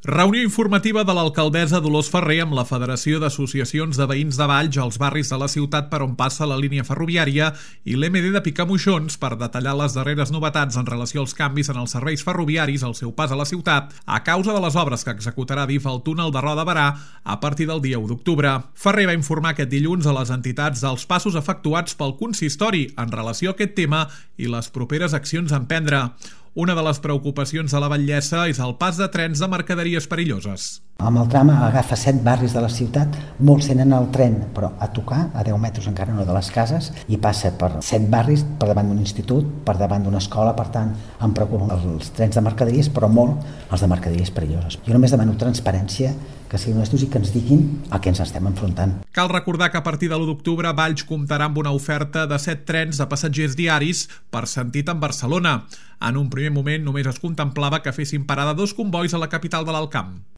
Reunió informativa de l'alcaldessa Dolors Ferrer amb la Federació d'Associacions de Veïns de Valls als barris de la ciutat per on passa la línia ferroviària i l'MD de Picamoixons per detallar les darreres novetats en relació als canvis en els serveis ferroviaris al seu pas a la ciutat a causa de les obres que executarà DIF al túnel de Roda de Berà a partir del dia 1 d'octubre. Ferrer va informar aquest dilluns a les entitats dels passos efectuats pel consistori en relació a aquest tema i les properes accions a emprendre. Una de les preocupacions de la batllessa és el pas de trens de mercaderies perilloses. Amb el tram agafa 7 barris de la ciutat, molts tenen el tren, però a tocar, a 10 metres encara no de les cases, i passa per 7 barris, per davant d'un institut, per davant d'una escola, per tant, em preocupen els trens de mercaderies, però molt els de mercaderies perilloses. Jo només demano transparència, que siguin honestos i que ens diguin a què ens estem enfrontant. Cal recordar que a partir de l'1 d'octubre Valls comptarà amb una oferta de 7 trens de passatgers diaris per sentit en Barcelona. En un primer moment només es contemplava que fessin parada 2 combois a la capital de l'Alt Camp.